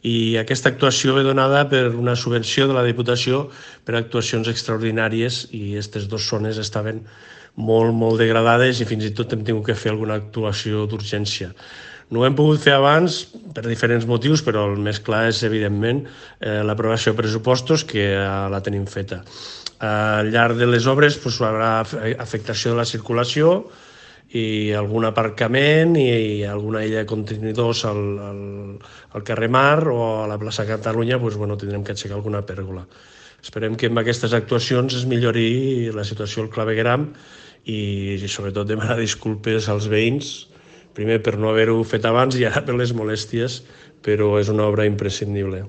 I aquesta actuació ve donada per una subvenció de la Diputació per actuacions extraordinàries i aquestes dues zones estaven molt degradades i fins i tot hem tingut que fer alguna actuació d'urgència. No ho hem pogut fer abans per diferents motius, però el més clar és, evidentment, l'aprovació de pressupostos, que la tenim feta. Al llarg de les obres hi haurà afectació de la circulació i algun aparcament i alguna illa de contenidors al carrer Mar o a la plaça Catalunya tindrem que aixecar alguna pèrgola. Esperem que amb aquestes actuacions es millori la situació al clavegueram i sobretot demanar disculpes als veïns, primer per no haver-ho fet abans i ara per les molèsties, però és una obra imprescindible.